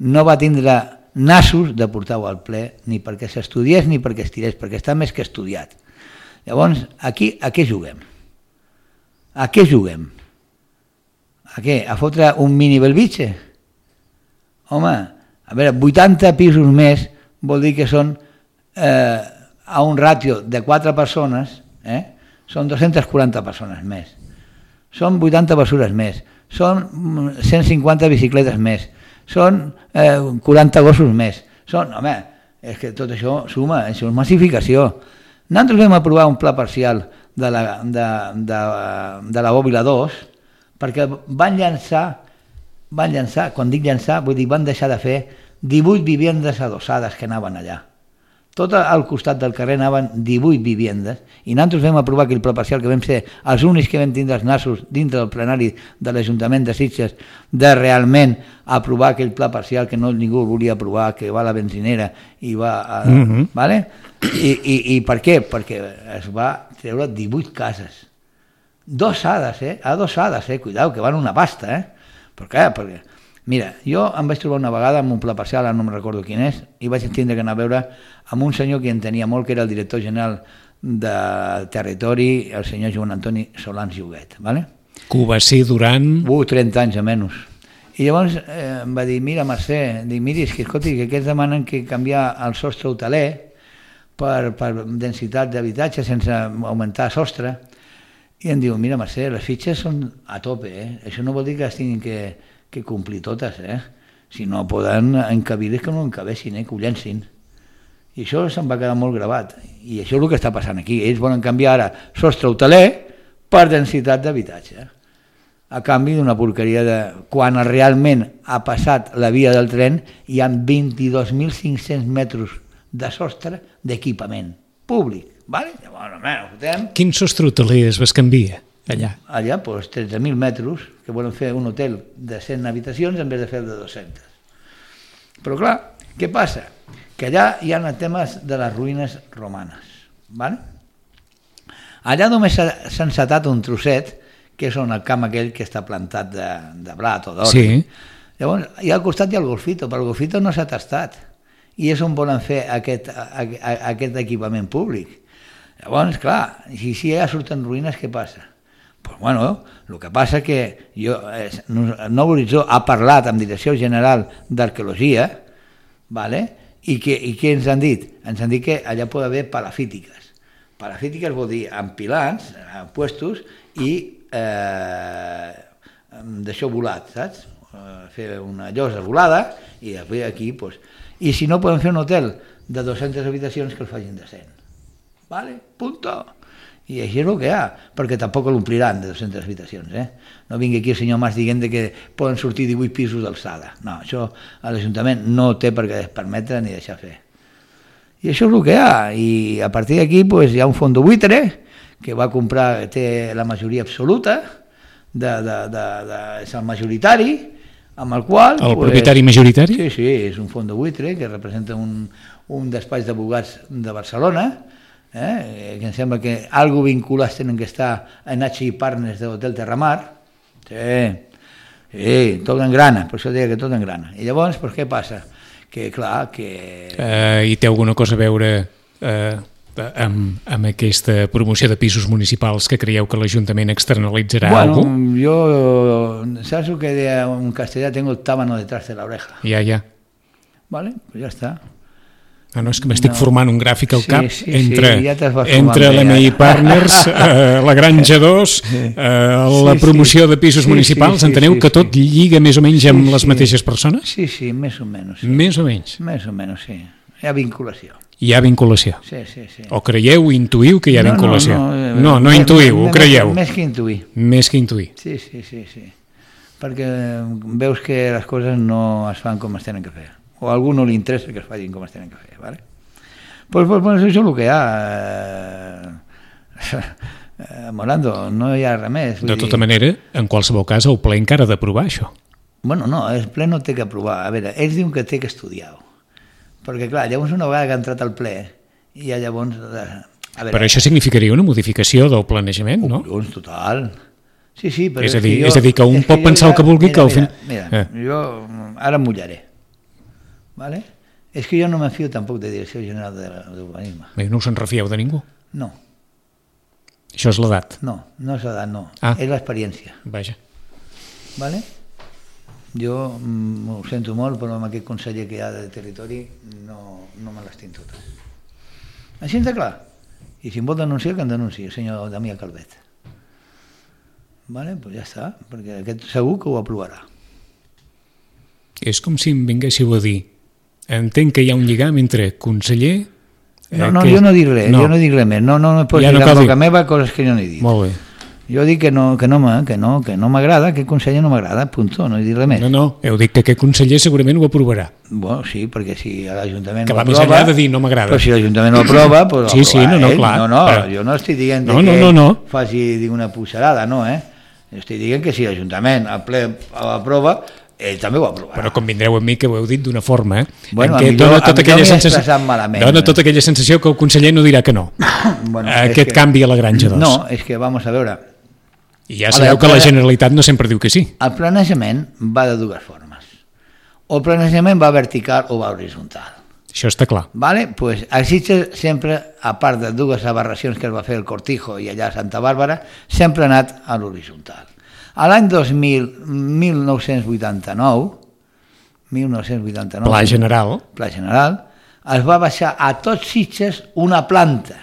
no va tindre nassos de portar-ho al ple ni perquè s'estudiés ni perquè es tirés, perquè està més que estudiat. Llavors, aquí a què juguem? A què juguem? A què? A fotre un mini Belvitge? Home, a veure, vuitanta pisos més vol dir que són eh, a un ràtio de quatre persones, eh? Són dues-centes quaranta persones més. Són vuitanta basures més. Són cent cinquanta bicicletes més. Són eh, quaranta gossos més. Són, home, és que tot això suma, això és massificació. Nosaltres vam aprovar un pla parcial de la, de, de, de la Bòbila dos perquè van llançar, van llançar, quan dic llançar, vull dir, van deixar de fer divuit vivendes adossades que anaven allà. Tot al costat del carrer anaven divuit vivendes i nosaltres vam aprovar aquell pla parcial que vam ser els únics que vam tindre els nassos dintre del plenari de l'Ajuntament de Sitges de realment aprovar aquell pla parcial que no ningú volia aprovar, que va a la benzinera i va a... Mm-hmm. Vale? I, i, I per què? Perquè es va treure divuit cases. Adossades, eh? Adossades, eh? Cuidao, que van una pasta, eh? Per què? Perquè... Mira, jo em vaig trobar una vegada amb un pla parcial, no me'n recordo quin és, i vaig tindre que anar a veure amb un senyor que en tenia molt, que era el director general de Territori, el senyor Joan Antoni Solans Lloguet. ¿Vale? Que ho va ser durant... Uh, trenta anys a menys. I llavors eh, em va dir, mira Mercè, dic, miri, és que, escolti, que aquests demanen que canviar el sostre hoteler per, per densitat d'habitatge sense augmentar sostre. I em diu, mira Mercè, les fitxes són a tope, eh? Això no vol dir que es tinguin que... que complir totes, eh? Si no poden encabir és que no encabessin, eh? Que ho llencin. I això se'n va quedar molt gravat. I això és el que està passant aquí. Ells volen canviar ara sostre hoteler per densitat d'habitatge. A canvi d'una porqueria de... Quan realment ha passat la via del tren hi ha vint-i-dos mil cinc-cents metres de sostre d'equipament públic. Vale? Llavors, no, fotem... Quin sostre hoteler es bescanvia? Allà, allà doncs, tretze mil metres, que volen fer un hotel de cent habitacions en vez de fer de dues-centes. Però clar, què passa? Que allà hi ha temes de les ruïnes romanes. ¿Vale? Allà només s'ha encetat un trosset, que és on el camp aquell que està plantat de, de blat o d'or. Sí. Llavors, i al costat hi ha el golfito, però el golfito no s'ha tastat. I és on volen fer aquest, aquest equipament públic. Llavors, clar, si, si ja surten ruïnes, què passa? Pues bueno, el que passa que jo, eh, Nou Horitzó ha parlat amb Direcció General d'Arqueologia, ¿vale? I, que, i què ens han dit? Ens han dit que allà pot haver palafítiques. Palafítiques vol dir empilants, puestos i eh, d'això volat, saps? Fer una llosa volada i després aquí, pues... I si no poden fer un hotel de dues-centes habitacions, que el facin de cent. ¿Vale? Punto. I així és el que hi ha, perquè tampoc l'ompliran de dues-centes habitacions. Eh? No vingui aquí el senyor Mas dient que poden sortir divuit pisos d'alçada. No, això a l'Ajuntament no té per què permetre ni deixar fer. I això és el que hi ha, i a partir d'aquí pues, hi ha un fons de buitre que va comprar, té la majoria absoluta, de, de, de, de, és el majoritari, amb el qual... El pues, propietari majoritari? Sí, sí, és un fons de buitre que representa un, un despatx d'advocats de Barcelona, Eh, que em sembla que algo vinculats tenen que estar en H I Partners de l'Hotel Terramar. Sí, sí, tot engrana, per això deia que tot engrana. I llavors, pues, què passa? Que clar, que... Eh, I té alguna cosa a veure eh, amb, amb aquesta promoció de pisos municipals que creieu que l'Ajuntament externalitzarà bueno, alguna cosa? Jo, saps el que en castellà tengo el tábano detrás de la oreja? Ja, ja. Vale, pues ja està. Ah, no, és que m'estic no. formant un gràfic al cap sí, sí, entre, sí, ja entre l'M I Partners, eh, la Granja dos, eh, la promoció de pisos sí, municipals, sí, sí, enteneu sí, que tot sí. lliga més o menys amb sí, les sí. mateixes persones? Sí, sí, més o menys. Sí. Més o menys. Més o menys, sí. Hi ha vinculació. Hi ha vinculació. Sí, sí, sí. O creieu, intuïu que hi ha no, vinculació? No, no, no, no més, intuïu, més, ho creieu. Més que intuir. Més que intuir. Sí, sí, sí, sí. Perquè veus que les coses no es fan com es tenen que fer. O a algú no li interessa que es facin com es tenen que fer, ¿vale? Pues, pues, pues això és el que hi ha. Eh, Morando, no hi ha res més. De tota dir... manera, en qualsevol cas, el ple encara ha d'aprovar això. Bueno, no, el ple no té que aprovar. A veure, ells diuen que té que estudiar. Perquè, clar, llavors una vegada que ha entrat al ple, i ja llavors... A veure, però això significaria una modificació del planejament, no? Oh, total. Sí, sí, però és, a dir, és, que jo, és a dir, que un pot pensar ja, el que vulgui mira, que al final... final... Mira, mira eh. jo ara em mullaré. Vale? És que jo no me fio tampoc de Direcció General d'Urbanisme. No us en refieu de ningú? No. Això és l'edat? No, no és l'edat, no. Ah. És l'experiència. Vaja. Vale? Jo mm, ho sento molt, però amb aquest conseller que hi ha de territori no, no me l'estim tota. Així de clar. I si em vol denunciar, que em denunciï, el senyor Damià Calvet. Vale? Pues ja està, perquè aquest segur que ho aprovarà. És com si em vinguéssiu a dir entenc que hi ha un lligam entre conseller... Eh, no, no, que... jo no dic res, no. jo no dic res més. No, no, no pots ja dir no en boca meva coses que jo no he dit. Molt bé. Jo dic que no, que no, que no, que no m'agrada, que el conseller no m'agrada, punto, no he dit res més. No, no, heu dit que aquest conseller segurament ho aprovarà. Bueno, sí, perquè si l'Ajuntament que ho va aprova... més enllà de dir no m'agrada. Però si l'Ajuntament ho aprova, doncs sí, sí, no, no, ell. clar. No, no, però... jo no estic dient no, que no, no, no. faci una puixarada, no, eh? Jo estic dient que si l'Ajuntament al ple aprova, ell també ho aprovarà. Però convindreu amb mi que ho heu dit d'una forma, eh? Bueno, en què millor, dona tota aquella sensació, malament, dona eh? tota aquella sensació que el conseller no dirà que no. Bueno, aquest que... canvi a la Granja dos. No, és que, vamos a veure... I ja sabeu que la Generalitat no sempre diu que sí. El planejament va de dues formes. O el planejament va vertical o va horitzontal. Això està clar. Vale? Pues a Sitges sempre, a part de dues aberracions que es va fer el Cortijo i allà a Santa Bàrbara, sempre ha anat a l'horitzontal. A l'any dos mil, mil nou-cents vuitanta-nou, mil nou-cents vuitanta-nou, Pla General, Pla General, es va baixar a tots Sitges una planta.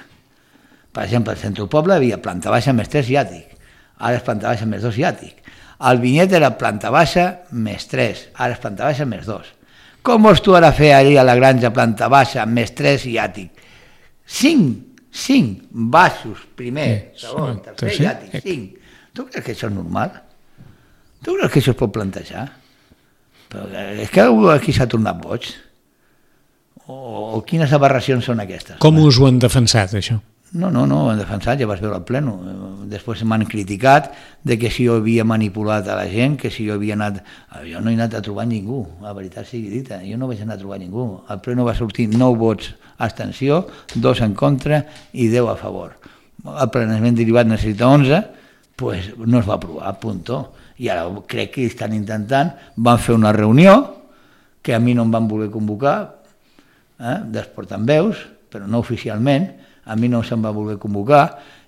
Per exemple, al centre del poble hi havia planta baixa més tres i àtic. Ara és planta baixa més dos i àtic. El Vinyet era planta baixa més tres, ara és planta baixa més dos. Com vols tu ara fer allà a la Granja planta baixa més tres i àtic? Cinc, cinc baixos, primer, segon, tercer i àtic, cinc. Tu creus que això és normal? Tu creus que això es pot plantejar? Però és que algú aquí s'ha tornat boig. O, o quines aberracions són aquestes? Com us ho han defensat, això? No, no, no, ho han defensat, ja vas veure al pleno. Després m'han criticat de que si jo havia manipulat a la gent, que si jo havia anat... Jo no he anat a trobar ningú, la veritat sigui dita, jo no vaig anar a trobar ningú. Al pleno va sortir nou vots abstenció, dos en contra i deu a favor. El planejament derivat necessita onze, pues no es va aprovar, punto. I ara crec que estan intentant, van fer una reunió, que a mi no em van voler convocar, eh, dels portaveus, però no oficialment, a mi no se'm va voler convocar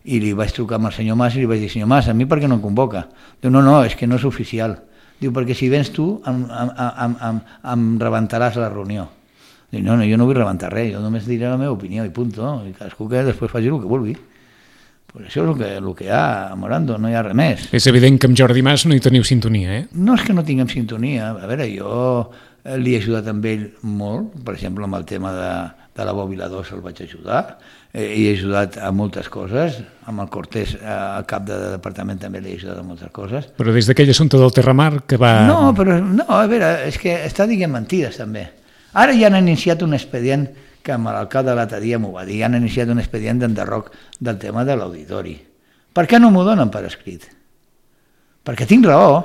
i li vaig trucar amb el senyor Mas i li vaig dir, senyor Mas, a mi per què no em convoca? Diu, no, no, és que no és oficial. Diu, perquè si vens tu em, em, em, em, em rebentaràs la reunió. Diu, no, no, jo no vull rebentar res, jo només diré la meva opinió i punt, i cadascú que després faci el que vulgui. Pues això és el que, el que hi ha, Morando, no hi ha res més. És evident que amb Jordi Mas no hi teniu sintonia, eh? No és que no tinguem sintonia, a veure, jo li he ajudat amb ell molt, per exemple, amb el tema de, de la Bòbila dos el vaig ajudar, eh, he ajudat a moltes coses, amb el Cortés, al cap de departament també li he ajudat a moltes coses. Però des d'aquell assumpte del Terramar que va... No, però no, a veure, és que està dient mentides també. Ara ja han iniciat un expedient, que amb l'alcalde l'altre dia m'ho va dir, han iniciat un expedient d'enderroc del tema de l'auditori. Per què no m'ho donen per escrit? Perquè tinc raó.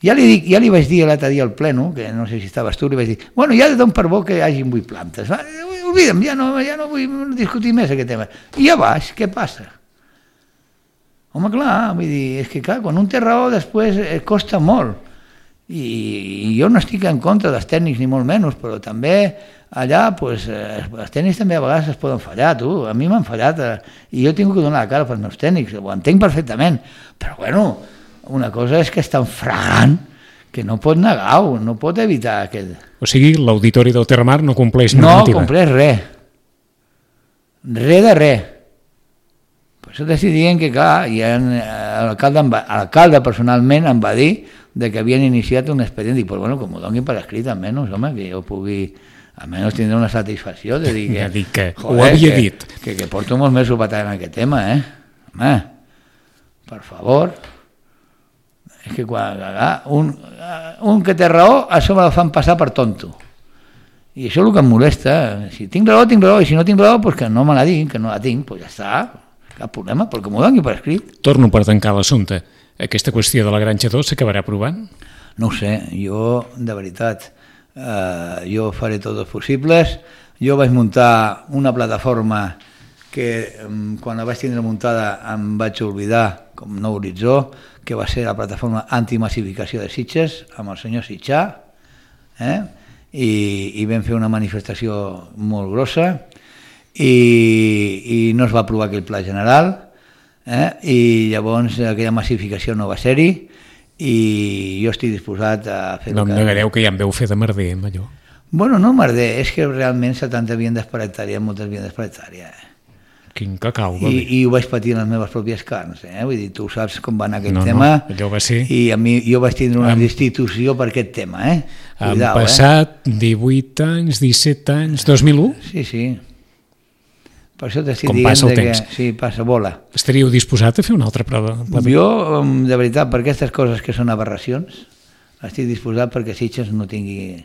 Ja li, dic, ja li vaig dir l'altre dia al pleno, que no sé si estaves tu, li vaig dir, bueno, ja dono per bo que hi hagi vuit plantes. Va, oblida'm, ja no, ja no vull discutir més aquest tema. I ja vas, què passa? Home, clar, vull dir, és que clar, quan un té raó després eh, costa molt. I, I jo no estic en contra dels tècnics ni molt menys, però també allà pues, eh, els tècnics també a vegades es poden fallar, tu, a mi m'han fallat eh, i jo tinc que donar la cara pels meus tècnics, ho entenc perfectament, però bueno, una cosa és que és tan fragant que no pot negar-ho, no pot evitar aquest... O sigui, l'Auditori del Terramar no compleix no normativa. No compleix res. Res de res. Per això t'estic dient que, clar, l'alcalde personalment em va dir de que havien iniciat un expedient. Dic, pues, bueno, com ho donin per escrit, almenys, home, que jo pugui... almenys tindré una satisfacció de dir que... Ja dic que joder, ho havia que, dit. Que, que porto molts mesos batallant en aquest tema, eh? Home, per favor... És que quan un, un que té raó, a sobre el fan passar per tonto. I això és el que em molesta. Si tinc raó, tinc raó, i si no tinc raó, pues que no me la diguin, que no la tinc, pues ja està, cap problema, perquè m'ho doni per escrit. Torno per tancar l'assumpte. Aquesta qüestió de la Granja dos s'acabarà aprovant? No ho sé, jo, de veritat, eh, jo faré tots els possibles. Jo vaig muntar una plataforma que quan la vaig tindre muntada em vaig oblidar com nou horitzó, que va ser la plataforma antimassificació de Sitges, amb el senyor Sitjà, eh? I, i vam fer una manifestació molt grossa, i, i no es va aprovar aquell pla general, eh? I llavors aquella massificació no va ser-hi, i jo estic disposat a fer... No em que... negareu que ja em veu fer de merder amb allò. Bueno, no merder, és que realment setanta viandes per hectàrea, moltes viandes per hectàrea, eh? Quin cacau, va I, bé. I ho vaig patir en les meves pròpies carns, eh? Vull dir, tu saps com va anar aquest no, tema, no, allò va ser... i a mi, jo vaig tindre una Am... destitució per aquest tema, eh? Han Cuidao, passat eh? divuit anys, disset anys, dos mil u? Sí, sí. Per això t'estic com dient passa el que... temps. Sí, passa, vola. Estaríeu disposat a fer una altra prova? Jo, de veritat, per aquestes coses que són aberracions, estic disposat perquè Sitges no tingui...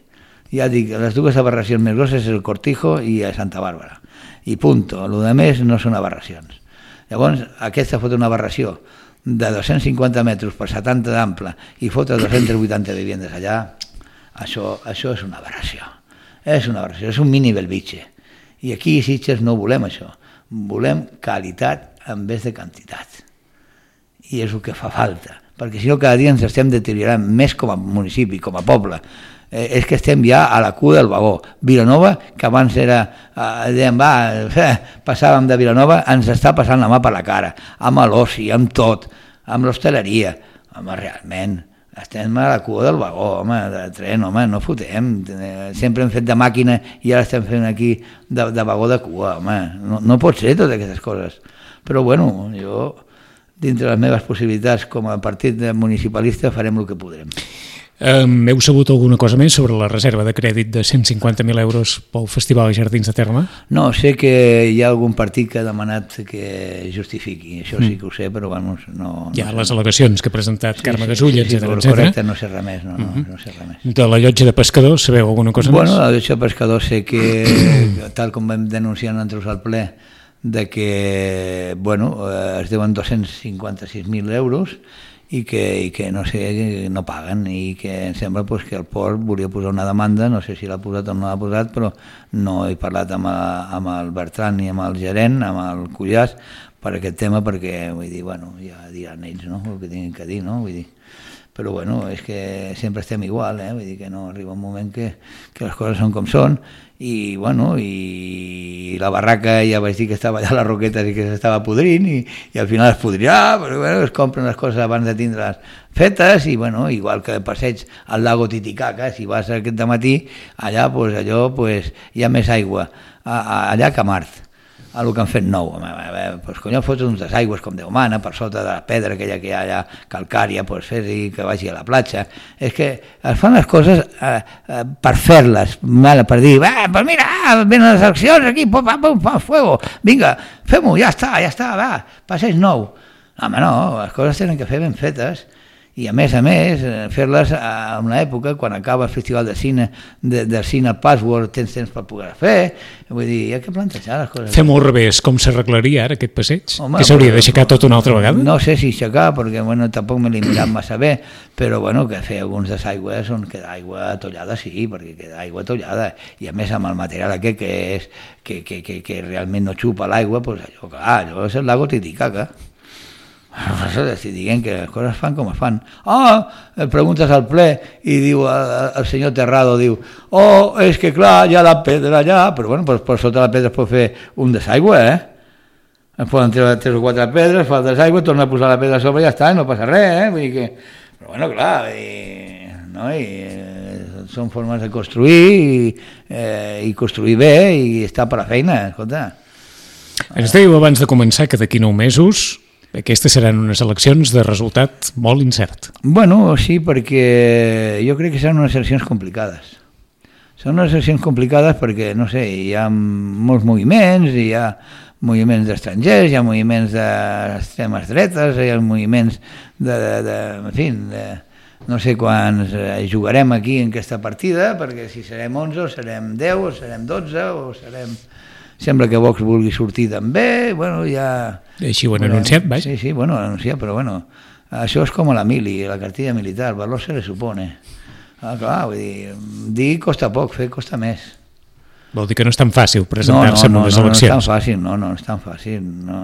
Ja dic, les dues aberracions més grosses és el Cortijo i a Santa Bàrbara. I punto. El de més no són aberracions. Llavors, aquesta fot una aberració de dos-cents cinquanta metres per setanta d'ample i fotre dos-cents vuitanta viviendes allà, això, això és una aberració. És una aberració, és un mini Belvitge. I aquí a Sitges no volem això. Volem qualitat en vez de quantitat. I és el que fa falta. Perquè si no cada dia ens estem deteriorant més com a municipi, com a poble. Eh, és que estem ja a la cua del vagó. Vilanova, que abans era, eh, dèiem, va, eh, passàvem de Vilanova, ens està passant la mà per la cara, amb l'oci, amb tot, amb l'hostaleria. Home, realment, estem a la cua del vagó, home, de tren, home, no fotem. Sempre hem fet de màquina i ara estem fent aquí de, de vagó de cua, home. No, no pot ser totes aquestes coses. Però, bueno, jo, dintre les meves possibilitats com a partit municipalista, farem el que podrem. Um, heu sabut alguna cosa més sobre la reserva de crèdit de cent cinquanta mil euros pel Festival Jardins de Terme? No, sé que hi ha algun partit que ha demanat que justifiqui, això sí que ho sé, però bueno, no... Hi ha no les sé. al·legacions que ha presentat sí, Carme Gasull, sí, sí, etcètera, sí, etcètera. Correcte, no sé res més, no, no, uh-huh. no sé res més. De la llotja de pescadors, sabeu alguna cosa bueno, més? Bueno, la llotja de pescadors sé que, tal com vam denunciar nosaltres al ple, de que, bueno, es deuen dos-cents cinquanta-sis mil euros i que, i que no sé, no paguen i que em sembla pues, que el port volia posar una demanda, no sé si l'ha posat o no l'ha posat, però no he parlat amb, a, amb el Bertran ni amb el gerent, amb el Cullàs, per aquest tema, perquè, vull dir, bueno, ja diran ells, no?, el que tinguin que dir, no?, vull dir, però bueno, és que sempre estem igual, eh? Vull dir que no arriba un moment que, que les coses són com són, i bueno, i la barraca ja vaig dir que estava allà a les roquetes i que s'estava podrint, i, i al final es podrirà, però bueno, es compren les coses abans de tindre-les fetes, i bueno, igual que el passeig al lago Titicaca, si vas aquest dematí, allà pues, allò pues, hi ha més aigua a, a, allà que a Mart, a el que han fet nou. Pues, conyo, fots uns desaigües com Déu mana, per sota de la pedra aquella que hi ha allà calcària, pues, fer-hi que vagi a la platja. És que es fan les coses eh, eh, per fer-les, per dir, va, pues mira, venen les eleccions aquí, pum, pum, pum, fuego, vinga, fem-ho, ja està, ja està, va, passeig nou. Home, no, les coses tenen que fer ben fetes. I a més a més, fer-les en una època, quan acaba el Festival de Cine, de, del Cine Password, tens temps per poder fer, vull dir, hi ha que plantejar les coses. Fem-ho al revés, com s'arreglaria ara aquest passeig? Home, que s'hauria d'aixecar tot una altra vegada? No sé si aixecar, perquè bueno, tampoc me l'he mirat massa bé, però bueno, que fer alguns desaigües on queda aigua atollada, sí, perquè queda aigua atollada, i a més amb el material aquest que, és, que, que, que, que realment no xupa l'aigua, doncs allò, clar, allò és el lago Titicaca. Per això estic dient que les coses fan com es fan. Ah, preguntes al ple i diu el, el senyor Terrado, diu, oh, és que clar, hi ha la pedra allà, però bueno, per, per sota la pedra es pot fer un desaigüe, eh? Es poden treure tres o quatre pedres, fa el desaigüe, torna a posar la pedra a sobre i ja està, no passa res, eh? Vull dir que... Però bueno, clar, i... no? I, eh, són formes de construir i, eh, i construir bé i estar per la feina, escolta. Ens dèieu abans de començar que d'aquí nou mesos aquestes seran unes eleccions de resultat molt incert. Bueno, sí, perquè jo crec que seran unes eleccions complicades. Són unes eleccions complicades perquè, no sé, hi ha molts moviments, hi ha moviments d'estrangers, hi ha moviments d'extremes dretes, hi ha moviments de, de, de en fi, de, no sé quants jugarem aquí en aquesta partida, perquè si serem onze o serem deu o serem dotze o serem... Sembla que Vox vulgui sortir també, bueno, ja... Així ho han bueno, anunciat, vaja. Sí, sí, bueno, anunciat, però bueno, això és com a la mili, la cartilla militar, valor se le supone. Ah, clar, vull dir, dir costa poc, fer costa més. Vol dir que no és tan fàcil presentar-se no, no, en unes no, eleccions. No, no és tan fàcil, no, no és tan fàcil. No.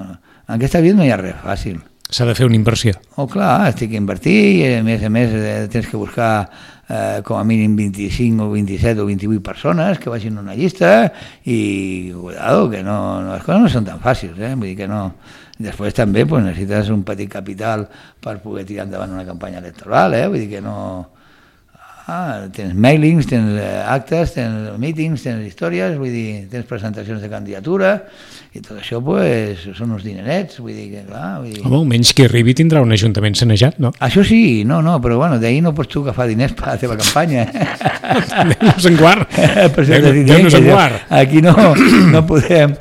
En aquesta vida no hi ha res fàcil. S'ha de fer una inversió. Oh, clar, estic a invertir i a més a més tens que buscar eh, com a mínim vint-i-cinc o vint-i-set o vint-i-vuit persones que vagin a una llista i, cuidado, que no, no, les coses no són tan fàcils, eh? Vull dir que no... Després també pues, necessites un petit capital per poder tirar endavant una campanya electoral, eh? Vull dir que no... Ah, tens mailings, tens actes, tens meetings, tens històries, vull dir, tens presentacions de candidatura i tot això pues, són uns dinerets, vull dir que clar... Vull dir... Home, almenys qui arribi tindrà un ajuntament sanejat, no? Això sí, no, no, però bueno, d'ahir no pots tu agafar diners per la teva campanya. Déu-nos en guard. Déu-nos en guard. Aquí no, no podem...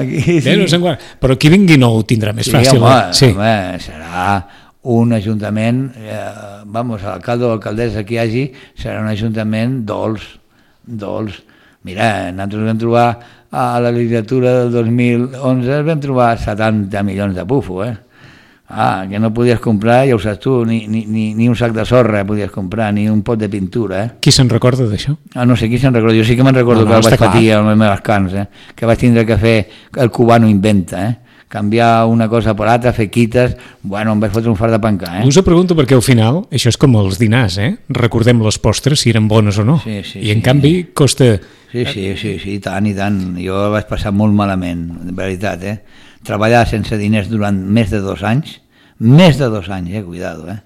Aquí, sí. Déu-nos en guard. Però qui vingui nou ho tindrà més sí, fàcil. Home, sí, home, serà... un ajuntament, eh, vamos, l'alcalde o alcaldessa que hi hagi, serà un ajuntament dolç, dolç. Mira, nosaltres vam trobar a la legislatura del dos mil onze, vam trobar setanta milions de pufo, eh? Ah, que no podies comprar, ja ho saps tu, ni, ni, ni, ni un sac de sorra podies comprar, ni un pot de pintura, eh? Qui se'n recorda d'això? Ah, no sé qui se'n recorda, jo sí que me'n recordo no, no, que el vaig patir a les meves cans, eh? Que vaig tindre que fer el cubano inventa, eh? Canviar una cosa per l'altra, fer quites, bueno, em vaig fotre un fart de pencar, eh? Us ho pregunto perquè al final això és com els dinars, eh? Recordem les postres si eren bones o no. Sí, sí, I en sí, canvi costa... Sí, sí, sí, sí, i tant, i tant. Jo vaig passar molt malament, de veritat, eh? Treballar sense diners durant més de dos anys, més de dos anys, eh? Cuidado, eh?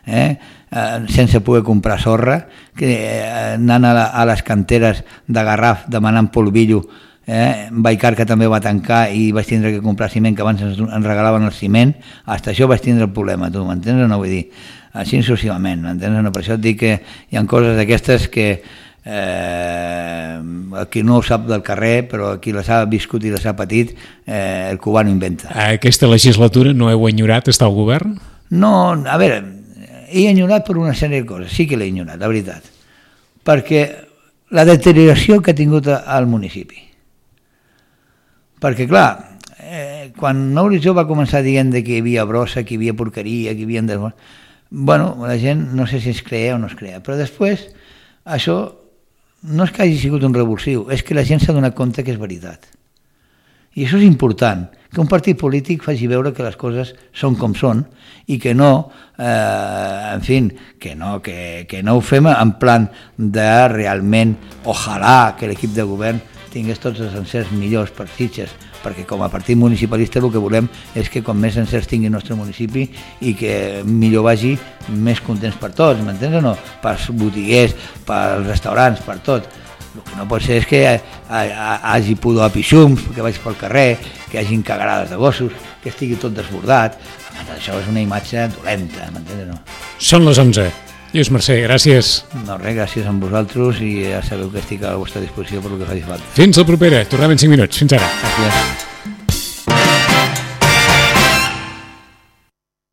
Eh? Eh, sense poder comprar sorra, que, eh, anant a, la, a les canteres de Garraf demanant polvillo. Eh? Baicar, que també va tancar i vaig tindre que comprar ciment, que abans ens, ens regalaven el ciment, fins això vaig tindre el problema, tu m'entens o no? Vull dir, així successivament, m'entens o no? Per això et dic que hi ha coses d'aquestes que eh, qui no ho sap del carrer, però qui les ha viscut i les ha patit, eh, el cubano inventa. Aquesta legislatura no heu enyorat estar al govern? No, a veure, he enyorat per una sèrie de coses, sí que l'he enyorat, la veritat, perquè la deterioració que ha tingut al municipi. Perquè, clar, eh, quan Mauricio va començar dient que hi havia brossa, que hi havia porqueria, que hi havia... Des... Bueno, la gent no sé si es creia o no es creia, però després això no és que hagi sigut un revulsiu, és que la gent s'ha donat compte que és veritat. I això és important, que un partit polític faci veure que les coses són com són i que no, eh, en fi, que no, que, que no ho fem en plan de realment, ojalà que l'equip de govern tingués tots els encerts millors per Sitges, perquè com a partit municipalista el que volem és que com més encerts tingui el nostre municipi i que millor vagi, més contents per tots, m'entens o no? Pels botiguers, pels restaurants, per tot. El que no pot ser és que hi hagi pudor a pixums, que vaig pel carrer, que hi hagin cagarades de gossos, que estigui tot desbordat. Això és una imatge dolenta, m'entens o no? Són les onze. Lluís Mercè, gràcies. No, res, gràcies a vosaltres i ja sabeu que estic a la vostra disposició per el que faci falta. Fins la propera. Tornem en cinc minuts. Fins ara. Gràcies.